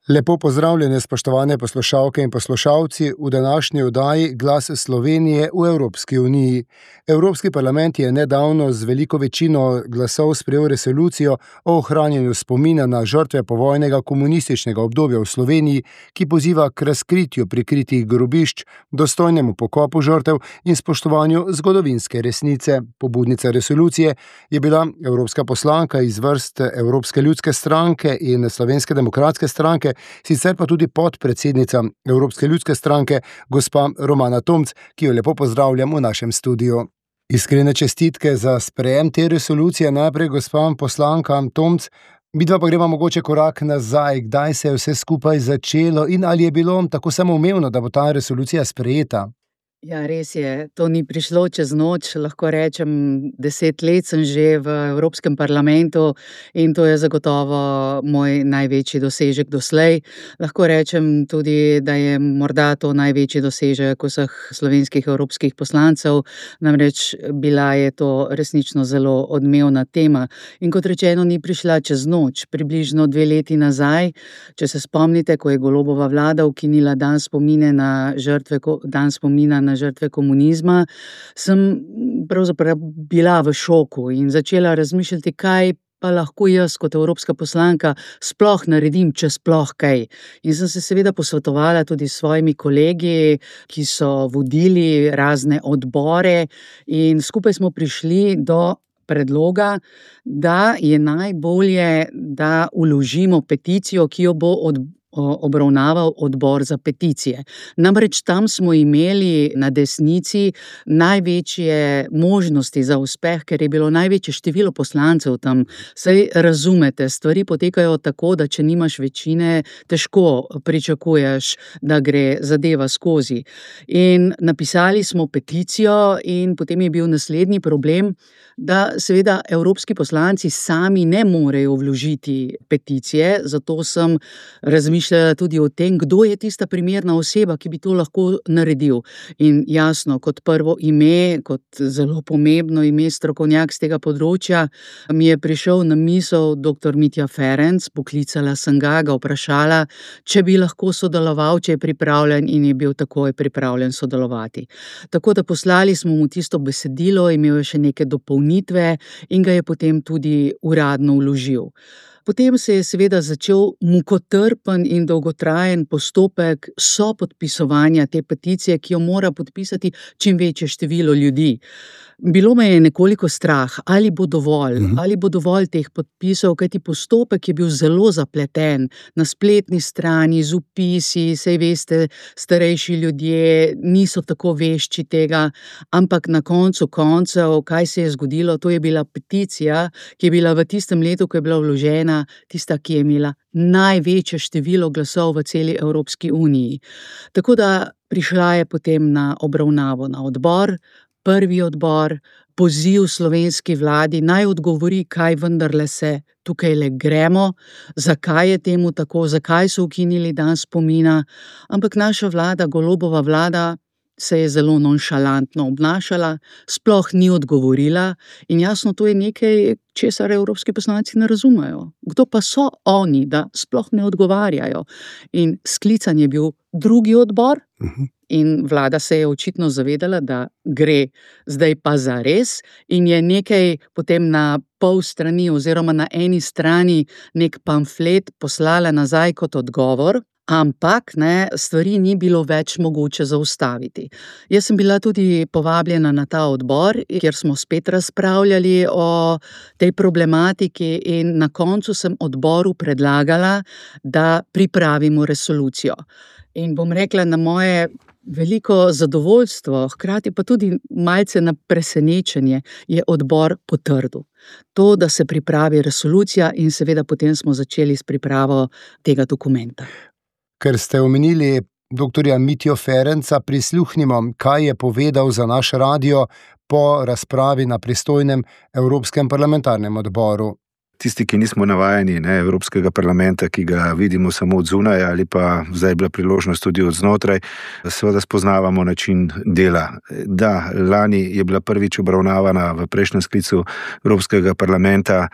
Lepo pozdravljene, spoštovane poslušalke in poslušalci, v današnji oddaji Glas Slovenije v Evropski uniji. Evropski parlament je nedavno z veliko večino glasov sprejel resolucijo o ohranjanju spomina na žrtve povojnega komunističnega obdobja v Sloveniji, ki poziva k razkritju prikritih grobišč, dostojnemu pokopu žrtev in spoštovanju zgodovinske resnice. Pobudnica resolucije je bila evropska poslanka iz vrst Evropske ljudske stranke in Slovenske demokratske stranke, sicer pa tudi podpredsednica Evropske ljudske stranke, gospa Romana Tomc, ki jo lepo pozdravljam v našem studiu. Iskrene čestitke za sprejem te resolucije. Najprej gospa poslanka Tomc, midva pa greva mogoče korak nazaj, kdaj se je vse skupaj začelo in ali je bilo tako samoumevno, da bo ta resolucija sprejeta? Ja, res je, to ni prišlo čez noč, lahko rečem, 10 let sem že v Evropskem parlamentu in to je zagotovo moj največji dosežek doslej. Lahko rečem tudi, da je morda to največji dosežek vseh slovenskih evropskih poslancev, namreč bila je to resnično zelo odmevna tema. In kot rečeno, ni prišla čez noč, približno 2 leti nazaj, če se spomnite, ko je Golobova vlada ukinila dan spomina na žrtve komunizma, sem pravzaprav bila v šoku in začela razmišljati, kaj pa lahko jaz kot evropska poslanka sploh naredim, če sploh kaj. In sem se seveda posvetovala tudi s svojimi kolegi, ki so vodili razne odbore in skupaj smo prišli do predloga, da je najbolje, da vložimo peticijo, ki jo bo obravnaval odbor za peticije. Namreč tam smo imeli na desnici največje možnosti za uspeh, ker je bilo največje število poslancev tam. Saj razumete, stvari potekajo tako, da če nimaš večine, težko pričakuješ, da gre zadeva skozi. In napisali smo peticijo in potem je bil naslednji problem, da seveda evropski poslanci sami ne morejo vložiti peticije, zato sem razmišljala tudi o tem, kdo je tista primerna oseba, ki bi to lahko naredil. In jasno, kot prvo ime, kot zelo pomembno ime, strokovnjak z tega področja, mi je prišel na misel dr. Mitja Ferenc, poklicala sem ga vprašala, če bi lahko sodeloval, če je pripravljen, in je bil takoj pripravljen sodelovati. Tako da poslali smo mu tisto besedilo, imel je še neke dopolnitve in ga je potem tudi uradno vložil. Potem se je seveda začel mukotrpen in dolgotrajen postopek sopodpisovanja te peticije, ki jo mora podpisati čim večje število ljudi. Bilo me je nekoliko strah, ali bo dovolj teh podpisov, kajti postopek je bil zelo zapleten, na spletni strani, z vpisi, saj veste, starejši ljudje niso tako vešči tega, ampak na koncu koncev, kaj se je zgodilo, to je bila peticija, ki je bila v tistem letu, ko je bila vložena, tista, ki je imela največje število glasov v celi Evropski uniji. Tako da prišla je potem na obravnavo na odbor, prvi odbor, poziv slovenski vladi, naj odgovori, kaj vendarle se tukajle gremo, zakaj je temu tako, zakaj so ukinili dan spomina, ampak naša vlada, Golobova vlada, se je zelo nonšalantno obnašala, sploh ni odgovorila in jasno, to je nekaj, česar evropski poslanci ne razumejo. Kdo pa so oni, da sploh ne odgovarjajo? In sklican je bil drugi odbor in vlada se je očitno zavedala, da gre zdaj pa zares in je nekaj potem na pol strani oziroma na eni strani nek pamflet poslala nazaj kot odgovor, ampak stvari ni bilo več mogoče zaustaviti. Jaz sem bila tudi povabljena na ta odbor, kjer smo spet razpravljali o tej problematiki in na koncu sem odboru predlagala, da pripravimo resolucijo. In bom rekla, na moje veliko zadovoljstvo, hkrati pa tudi malce na presenečenje, je odbor potrdil. To, da se pripravi resolucija in seveda potem smo začeli s pripravo tega dokumenta. Ker ste omenili dr. Mitjo Ferenca, prisluhnimo, kaj je povedal za naš radio po razpravi na pristojnem Evropskem parlamentarnem odboru. tisti, ki nismo navajeni Evropskega parlamenta, ki ga vidimo samo od zunaj ali pa zdaj je bila priložnost tudi od znotraj, seveda spoznavamo način dela. Da, lani je bila prvič obravnavana v prejšnjem sklicu Evropskega parlamenta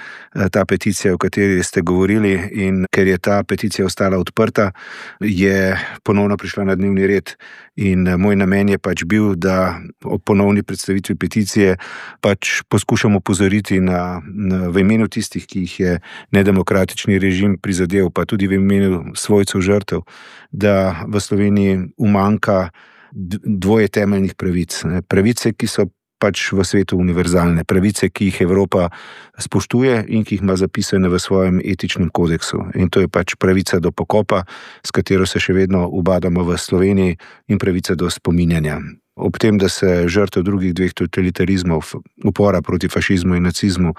ta peticija, o kateri ste govorili, in ker je ta peticija ostala odprta, je ponovno prišla na dnevni red. In moj namen je pač bil, da ob ponovni predstavitvi peticije pač poskušamo opozoriti v imenu tistih, ki jih je nedemokratični režim prizadel, pa tudi v imenu svojcev žrtev, da v Sloveniji umanjka dvoje temeljnih pravic. Pravice, ki so pač v svetu univerzalne, pravice, ki jih Evropa spoštuje in ki jih ima zapisane v svojem etičnem kodeksu. In to je pač pravica do pokopa, s katero se še vedno ubadamo v Sloveniji, in pravica do spominjanja. Ob tem, da se žrtev drugih dveh totalitarizmov, upora proti fašizmu in nacizmu,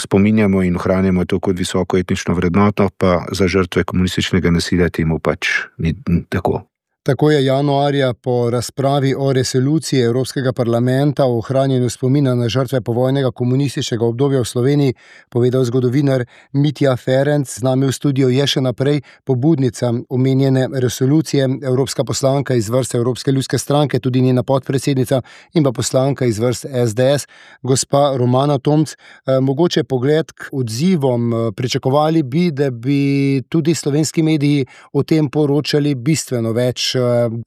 spominjamo in ohranjamo to kot visoko etnično vrednoto, pa za žrtve komunističnega nasilja temu pač ni tako. Tako je januarja po razpravi o resoluciji Evropskega parlamenta o ohranjanju spomina na žrtve povojnega komunističnega obdobja v Sloveniji povedal zgodovinar Mitja Ferenc. Z nami v studiu je še naprej pobudnica omenjene resolucije, evropska poslanka iz vrst Evropske ljudske stranke, tudi njena podpredsednica, in pa poslanka iz vrst SDS, gospa Romana Tomc. Mogoče pogled k odzivom. Pričakovali bi, da bi tudi slovenski mediji o tem poročali bistveno več.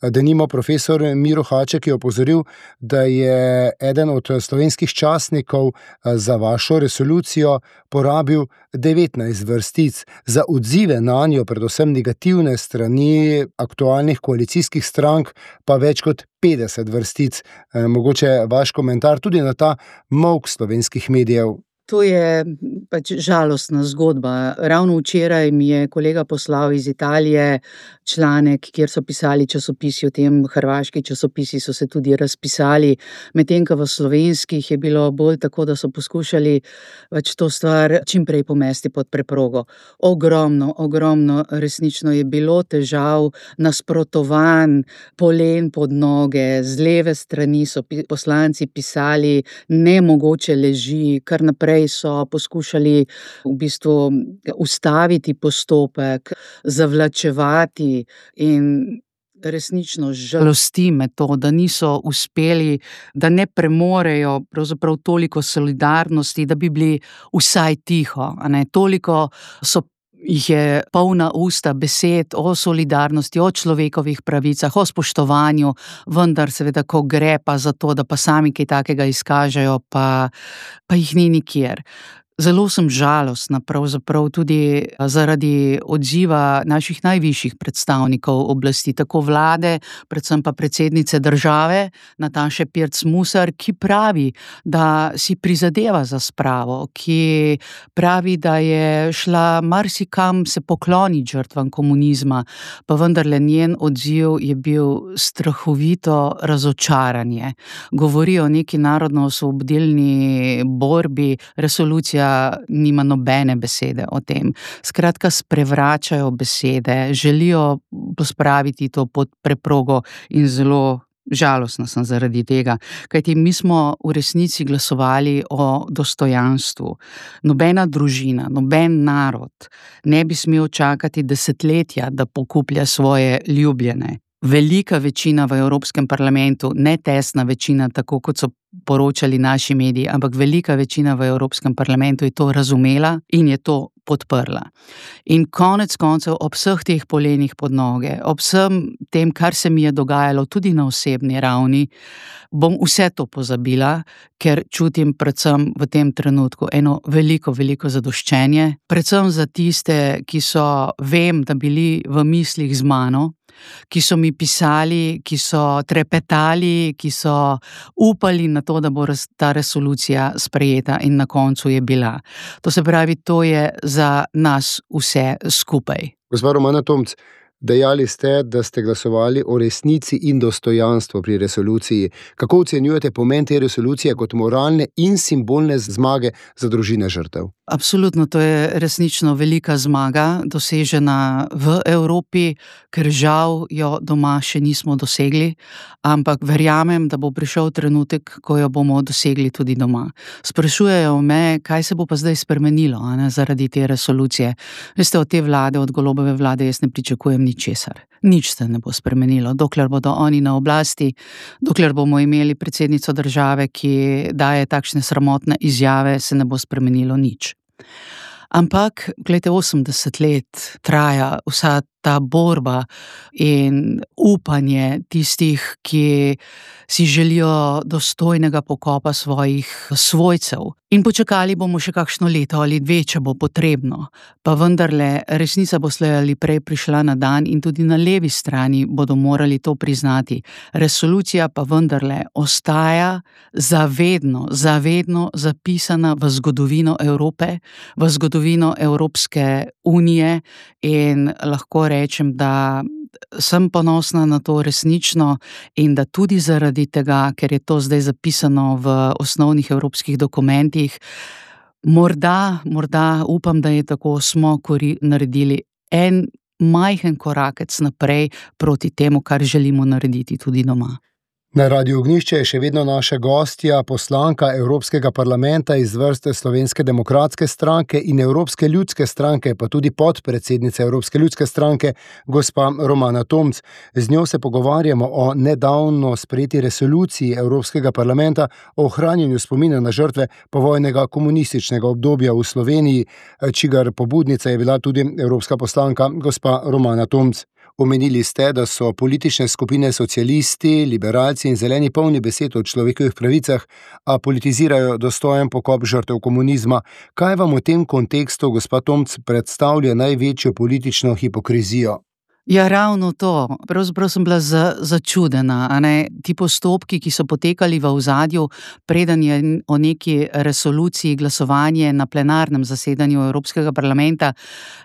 Denimo profesor Miro Haček je opozoril, da je eden od slovenskih časnikov za vašo resolucijo porabil 19 vrstic, za odzive nanjo, predvsem negativne strani aktualnih koalicijskih strank, pa več kot 50 vrstic. Mogoče vaš komentar tudi na ta molk slovenskih medijev. To je pač žalostna zgodba. Ravno včeraj mi je kolega poslal iz Italije članek, kjer so pisali časopisi o tem, hrvaški časopisi so se tudi razpisali, medtem ko v slovenskih je bilo bolj tako, da so poskušali pač to stvar čim prej pomesti pod preprogo. Ogromno resnično je bilo težav, nasprotovanj, polen pod noge, z leve strani so poslanci pisali nemogoče leži, kar naprej so poskušali v bistvu ustaviti postopek, zavlačevati, in resnično žalosti me to, da niso uspeli, da ne premorejo pravzaprav toliko solidarnosti, da bi bili vsaj tiho, toliko jih je polna usta besed o solidarnosti, o človekovih pravicah, o spoštovanju, vendar seveda, ko gre pa za to, da pa sami kaj takega izkažejo, pa jih ni nikjer. Zelo sem žalostna pravzaprav tudi zaradi odziva naših najvišjih predstavnikov oblasti, tako vlade, predvsem pa predsednice države, Nataše Pirc Musar, ki pravi, da si prizadeva za spravo, ki pravi, da je šla marsikam se pokloniti žrtvam komunizma, pa vendarle njen odziv je bil strahovito razočaranje. Govori o neki narodno-osvobodilni borbi, resolucija nima nobene besede o tem. Skratka, sprevračajo besede, želijo pospraviti to pod preprogo in zelo žalostna sem zaradi tega. Kajti mi smo v resnici glasovali o dostojanstvu. Nobena družina, noben narod ne bi smel čakati desetletja, da pokuplja svoje ljubljene. Velika večina v Evropskem parlamentu, ne tesna večina, tako kot so poročali naši mediji, ampak velika večina v Evropskem parlamentu je to razumela in je to podprla. In konec koncev ob vseh teh polenih pod noge, ob vsem tem, kar se mi je dogajalo tudi na osebni ravni, bom vse to pozabila, ker čutim predvsem v tem trenutku eno veliko zadoščenje, predvsem za tiste, ki so, vem, da bili v mislih z mano, ki so mi pisali, ki so trepetali, ki so upali na to, da bo ta resolucija sprejeta, in na koncu je bila. To se pravi, to je za nas vse skupaj. Gospa Romana Tomc, dejali ste, da ste glasovali o resnici in dostojanstvu pri resoluciji. Kako ocenjujete pomen te resolucije kot moralne in simbolne zmage za družine žrtev? Absolutno, to je resnično velika zmaga, dosežena v Evropi, ker žal jo doma še nismo dosegli, ampak verjamem, da bo prišel trenutek, ko jo bomo dosegli tudi doma. Sprašujejo me, kaj se bo pa zdaj spremenilo, zaradi te resolucije. Veste, od te vlade, od Golobove vlade, jaz ne pričakujem ničesar. Nič se ne bo spremenilo, dokler bodo oni na oblasti, dokler bomo imeli predsednico države, ki daje takšne sramotne izjave, se ne bo spremenilo nič. Ampak, glejte, 80 let traja vsa ta borba in upanje tistih, ki si želijo dostojnega pokopa svojih svojcev. In počakali bomo še kakšno leto ali dve, če bo potrebno. Pa vendarle, resnica bo slej ali prej prišla na dan in tudi na levi strani bodo morali to priznati. Resolucija pa vendarle ostaja zavedno zapisana v zgodovino Evrope, v zgodovino Evropske unije in lahko rečem, da sem ponosna na to resnično in da tudi zaradi tega, ker je to zdaj zapisano v osnovnih evropskih dokumentih, morda upam, da je tako, smo naredili en majhen korakec naprej proti temu, kar želimo narediti tudi doma. Na Radiu Ognjišče je še vedno naša gostja, poslanka Evropskega parlamenta iz vrste Slovenske demokratske stranke in Evropske ljudske stranke, pa tudi podpredsednica Evropske ljudske stranke, gospa Romana Tomc. Z njo se pogovarjamo o nedavno sprejeti resoluciji Evropskega parlamenta o ohranjanju spomina na žrtve povojnega komunističnega obdobja v Sloveniji, čigar pobudnica je bila tudi evropska poslanka gospa Romana Tomc. Omenili ste, da so politične skupine socialisti, liberalci in zeleni polni besed o človekovih pravicah, a politizirajo dostojen pokop žrtev komunizma. Kaj vam v tem kontekstu, gospa Tomc, predstavlja največjo politično hipokrizijo? Ja, ravno to. Pravzaprav sem bila začudena. Ti postopki, ki so potekali v ozadju, preden je o neki resoluciji glasovanje na plenarnem zasedanju Evropskega parlamenta,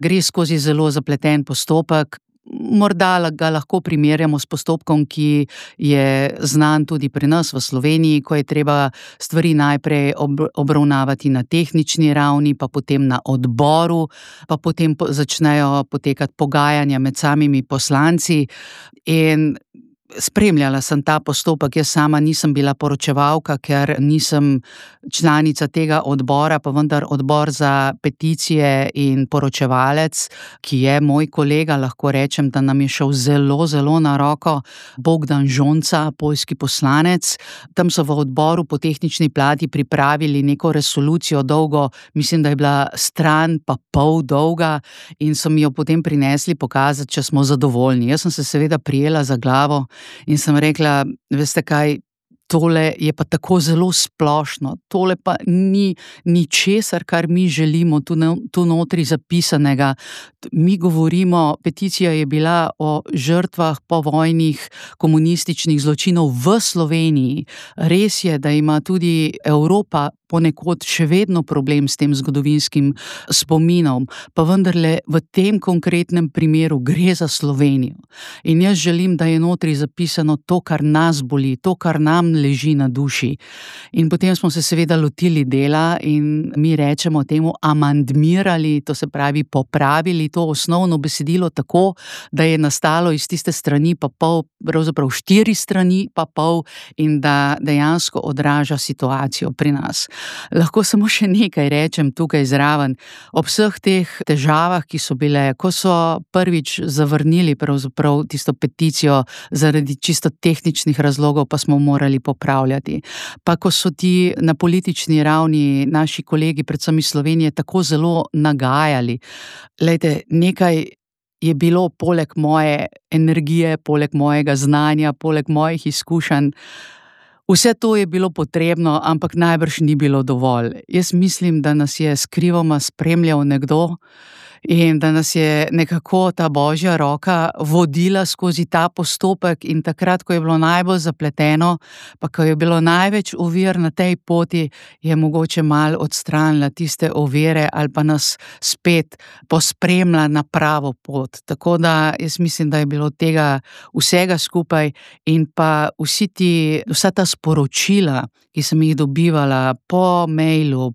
gre skozi zelo zapleten postopek. Morda ga lahko primerjamo s postopkom, ki je znan tudi pri nas v Sloveniji, ko je treba stvari najprej obravnavati na tehnični ravni, pa potem na odboru, pa potem začnejo potekati pogajanja med samimi poslanci in spremljala sem ta postopek. Jaz sama nisem bila poročevalka, ker nisem članica tega odbora, pa vendar odbor za peticije in poročevalec, ki je moj kolega, lahko rečem, da nam je šel zelo na roko, Bogdan Žonca, poljski poslanec. Tam so v odboru po tehnični plati pripravili neko resolucijo dolgo, mislim, da je bila stran pa pol dolga in so mi jo potem prinesli pokazati, če smo zadovoljni. Jaz sem se seveda prijela za glavo in sem rekla, veste kaj, tole je pa tako zelo splošno, tole pa ni ničesar, kar mi želimo tu notri zapisanega. Mi govorimo, peticija je bila o žrtvah povojnih komunističnih zločinov v Sloveniji. Res je, da ima tudi Evropa ponekod še vedno problem s tem zgodovinskim spominom, pa vendarle v tem konkretnem primeru gre za Slovenijo. In jaz želim, da je notri zapisano to, kar nas boli, to, kar nam leži na duši. In potem smo se seveda lotili dela in mi rečemo temu amandmirali, to se pravi popravili to osnovno besedilo tako, da je nastalo iz tiste strani pa pol, pravzaprav 4 strani pa pol in da dejansko odraža situacijo pri nas. Lahko samo še nekaj rečem tukaj zraven. Ob vseh teh težavah, ki so bile, ko so prvič zavrnili pravzaprav tisto peticijo zaradi čisto tehničnih razlogov, pa smo morali popravljati. Pa ko so ti na politični ravni naši kolegi, predvsem iz Slovenije, tako zelo nagajali. Glejte, nekaj je bilo poleg moje energije, poleg mojega znanja, poleg mojih izkušenj. Vse to je bilo potrebno, ampak najbrž ni bilo dovolj. Jaz mislim, da nas je skrivoma spremljal nekdo, in da nas je nekako ta božja roka vodila skozi ta postopek in takrat, ko je bilo najbolj zapleteno, pa ko je bilo največ ovir na tej poti, je mogoče malo odstranila tiste ovire ali pa nas spet pospremila na pravo pot. Tako da jaz mislim, da je bilo tega vsega skupaj in pa vsa ta sporočila, ki sem jih dobivala po mailu,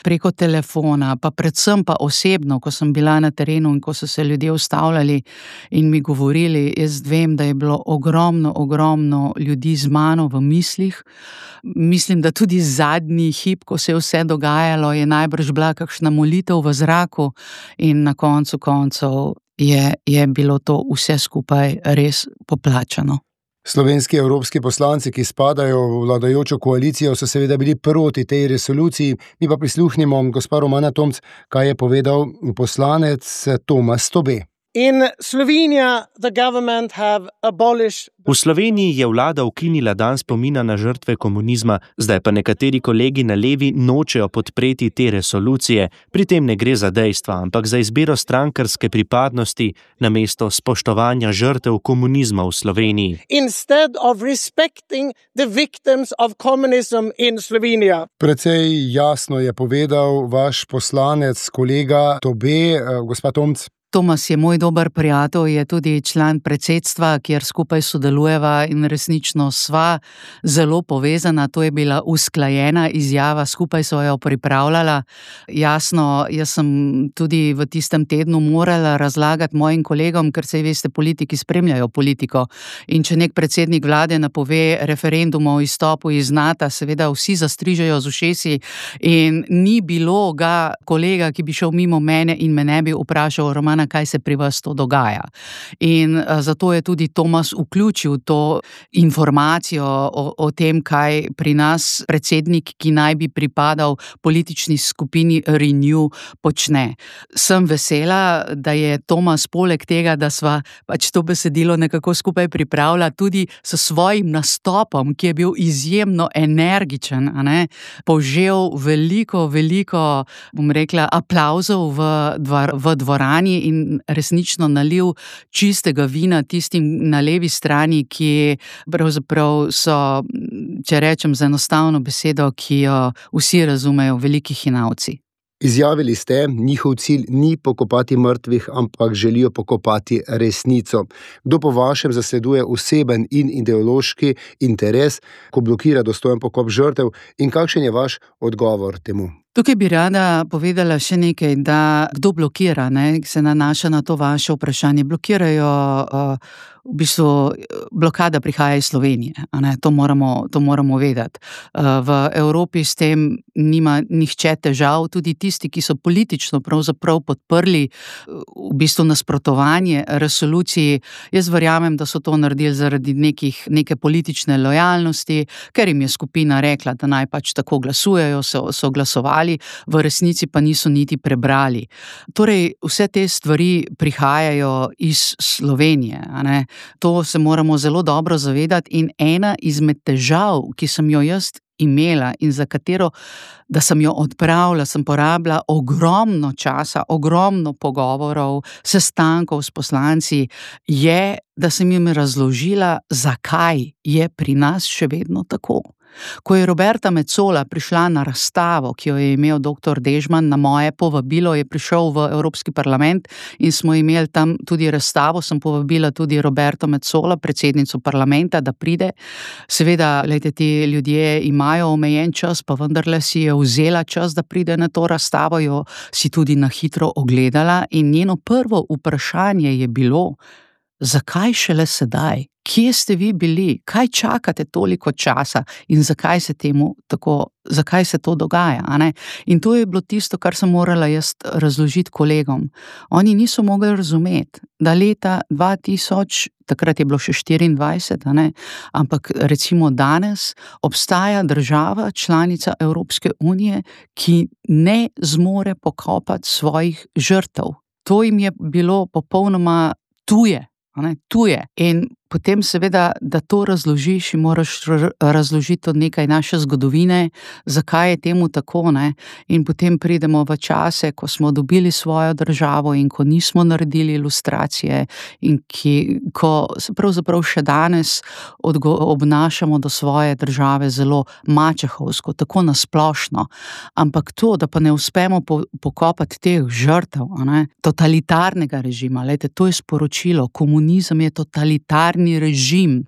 preko telefona, pa predvsem pa osebno, ko sem bila na terenu in ko so se ljudje ustavljali in mi govorili, jaz vem, da je bilo ogromno ljudi z mano v mislih. Mislim, da tudi zadnji hip, ko se je vse dogajalo, je najbrž bila kakšna molitev v zraku in na koncu koncev je bilo to vse skupaj res poplačano. Slovenski evropski poslanci, ki spadajo v vladajočo koalicijo, so seveda bili proti tej resoluciji. Mi pa prisluhnimo gospa Romana Tomc, kaj je povedal poslanec Tomas Tobe. V Sloveniji je vlada ukinila dan spomina na žrtve komunizma, zdaj pa nekateri kolegi na levi nočejo podpreti te resolucije. Pri tem ne gre za dejstva, ampak za izbiro strankarske pripadnosti namesto spoštovanja žrtev komunizma v Sloveniji. Precej jasno je povedal vaš poslanec, kolega Tobe, gospa Tomc. Tomas je moj dober prijatelj, je tudi član predsedstva, kjer skupaj sodelujeva in resnično sva zelo povezana. To je bila usklajena izjava, skupaj sva jo pripravljala. Jasno, jaz sem tudi v tistem tednu morala razlagati mojim kolegom, ker saj veste, politiki spremljajo politiko. In če nek predsednik vlade napove referendum o izstopu iz NATO, seveda vsi zastrižejo z ušesi in ni bilo ga kolega, ki bi šel mimo mene in me ne bi vprašal, Romana, kaj se pri vas to dogaja. In zato je tudi Tomas vključil to informacijo o tem, kaj pri nas predsednik, ki naj bi pripadal politični skupini Renew, počne. Sem vesela, da je Tomas poleg tega, da sva pač to besedilo nekako skupaj pripravila, tudi s svojim nastopom, ki je bil izjemno energičen, požel veliko, bom rekla, aplavzov v dvorani in resnično nalil čistega vina tistim na levi strani, ki pravzaprav so, če rečem z enostavno besedo, ki jo vsi razumejo, veliki hinavci. Izjavili ste, njihov cilj ni pokopati mrtvih, ampak želijo pokopati resnico. Kdo po vašem zasleduje oseben in ideološki interes, ko blokira dostojen pokop žrtev, in kakšen je vaš odgovor temu? Tukaj bi rada povedala še nekaj, da kdo blokira, se nanaša na to vaše vprašanje. Blokirajo, v bistvu blokada prihaja iz Slovenije, to moramo vedeti. V Evropi s tem nima nihče težav, tudi tisti, ki so politično pravzaprav podprli v bistvu nasprotovanje resoluciji. Jaz verjamem, da so to naredili zaradi neke politične lojalnosti, ker jim je skupina rekla, da naj pač tako glasujejo, so glasovali, v resnici pa niso niti prebrali. Torej, vse te stvari prihajajo iz Slovenije, To se moramo zelo dobro zavedati in ena izmed težav, ki sem jo jaz imela in za katero, da sem jo odpravila, sem porabila ogromno časa, ogromno pogovorov, sestankov s poslanci, je, da sem jim razložila, zakaj je pri nas še vedno tako. Ko je Roberta Metsola prišla na razstavo, ki jo je imel dr. Dežman, na moje povabilo je prišel v Evropski parlament in smo imeli tam tudi razstavo, sem povabila tudi Roberto Metsola, predsednico parlamenta, da pride. Seveda, glejte, ti ljudje imajo omejen čas, pa vendarle si je vzela čas, da pride na to razstavo, jo si tudi na hitro ogledala in njeno prvo vprašanje je bilo, zakaj šele sedaj? Kje ste vi bili? Kaj čakate toliko časa in zakaj se to dogaja? In to je bilo tisto, kar sem morala jaz razložiti kolegom. Oni niso mogli razumeti, da leta 2000, takrat je bilo še 24, ampak recimo danes obstaja država, članica Evropske unije, ki ne zmore pokopati svojih žrtev. To jim je bilo popolnoma tuje. In potem seveda, da to razložiš in moraš razložiti tudi nekaj naše zgodovine, zakaj je temu tako, ne. In potem pridemo v čase, ko smo dobili svojo državo in ko nismo naredili ilustracije in ko se pravzaprav še danes obnašamo do svoje države zelo mačehovsko, tako na splošno. Ampak to, da pa ne uspemo pokopati teh žrtev, a ne, totalitarnega režima, glejte, to je sporočilo, komunizem je totalitarni režim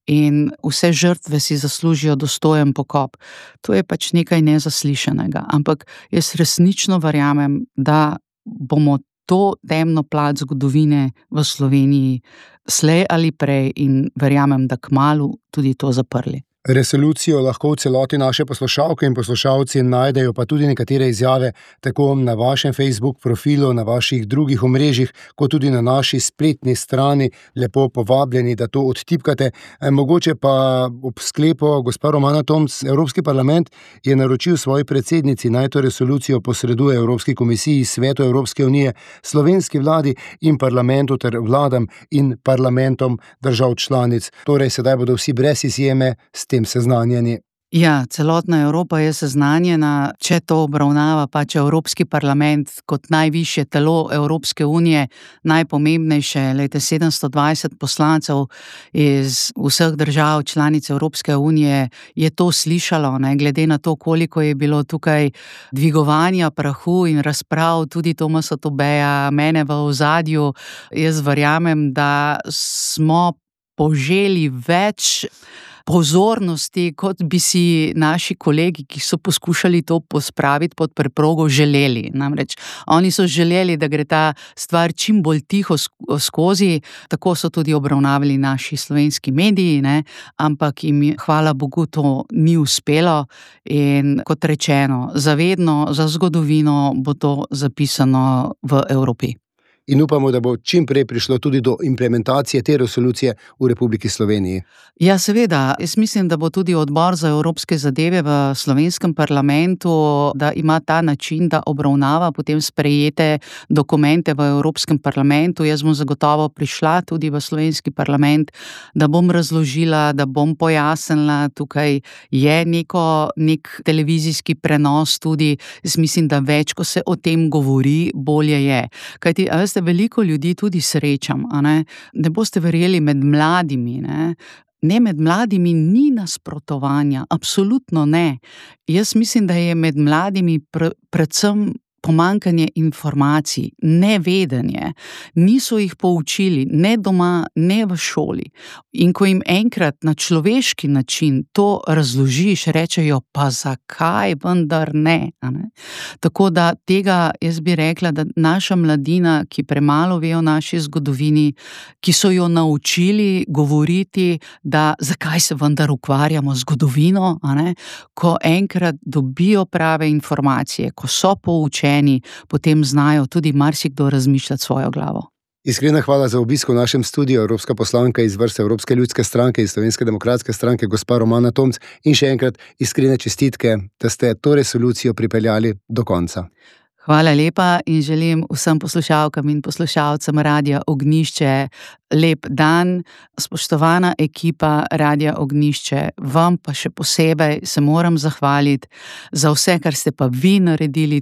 in vse žrtve si zaslužijo dostojen pokop. To je pač nekaj nezaslišanega, ampak jaz resnično verjamem, da bomo to temno plat zgodovine v Sloveniji slej ali prej in verjamem, da kmalu tudi to zaprli. Resolucijo lahko v celoti naše poslušalke in poslušalci najdejo pa tudi nekatere izjave tako na vašem Facebook profilu, na vaših drugih omrežjih, kot tudi na naši spletni strani. Lepo povabljeni, da to odtipkate. Mogoče pa ob sklepu, gospa Romana Tomc, Evropski parlament je naročil svoji predsednici, naj to resolucijo posreduje Evropski komisiji, Svetu Evropske unije, slovenski vladi in parlamentu ter vladam in parlamentom držav članic. Torej, sedaj bodo vsi brez izjeme s tem seznanjeni. Ja, celotna Evropa je seznanjena, če to obravnava pač Evropski parlament kot najvišje telo Evropske unije, najpomembnejše, 720 poslancev iz vseh držav članic Evropske unije je to slišalo, ne, glede na to, koliko je bilo tukaj dvigovanja prahu in razprav, tudi Tomasa Tobeja, mene v ozadju. Jaz verjamem, da smo poželi več pozornosti, kot bi si naši kolegi, ki so poskušali to pospraviti pod preprogo, želeli. Namreč, oni so želeli, da gre ta stvar čim bolj tiho skozi, tako so tudi obravnavali naši slovenski mediji, ne? Ampak jim, hvala Bogu, to ni uspelo in kot rečeno, zavedno, za zgodovino bo to zapisano v Evropi. In upamo, da bo čim prej prišlo tudi do implementacije te resolucije v Republiki Sloveniji. Ja, seveda. Jaz mislim, da bo tudi odbor za evropske zadeve v slovenskem parlamentu, da ima ta način, da obravnava potem sprejete dokumente v Evropskem parlamentu. Jaz bom zagotovo prišla tudi v slovenski parlament, da bom razložila, da bom pojasnila. Tukaj je nek televizijski prenos tudi. Jaz mislim, da več, ko se o tem govori, bolje je. Kajti, veste, veliko ljudi tudi srečam, a ne? Ne boste verjeli, med mladimi, ne? Ne, med mladimi ni nasprotovanja, absolutno ne. Jaz mislim, da je med mladimi predvsem pomanjkanje informacij, nevedenje. Niso jih poučili, ne doma, ne v šoli. In ko jim enkrat na človeški način to razložiš, rečejo, pa zakaj vendar ne, a ne? Tako da tega, jaz bi rekla, da naša mladina, ki premalo ve o naši zgodovini, ki so jo naučili govoriti, da zakaj se vendar ukvarjamo z zgodovino, a ne? Ko enkrat dobijo prave informacije, ko so poučeni, potem znajo tudi marsikdo razmišljati svojo glavo. Iskrena hvala za obisk v našem studiu, evropska poslanka iz vrste Evropske ljudske stranke in Slovenske demokratske stranke, gospa Romana Tomc, in še enkrat iskrene čestitke, da ste to resolucijo pripeljali do konca. Hvala lepa in želim vsem poslušalkam in poslušalcem Radia Ognjišče lep dan. Spoštovana ekipa Radia Ognjišče, vam pa še posebej se moram zahvaliti za vse, kar ste pa vi naredili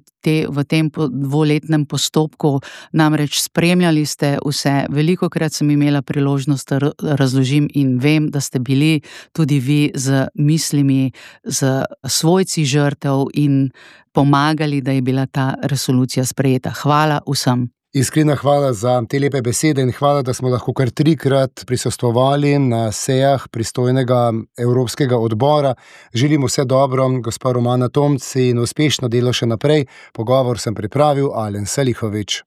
v tem dvoletnem postopku. Namreč spremljali ste vse, velikokrat sem imela priložnost, da razložim in vem, da ste bili tudi vi z mislimi, z svojci žrtev in pomagali, da je bila ta resolucija sprejeta. Hvala vsem. Iskrena hvala za te lepe besede in hvala, da smo lahko kar 3-krat prisostvovali na sejah pristojnega Evropskega odbora. Želim vse dobro, gospa Romana Tomc, in uspešno delo še naprej. Pogovor sem pripravil Alen Salihovič.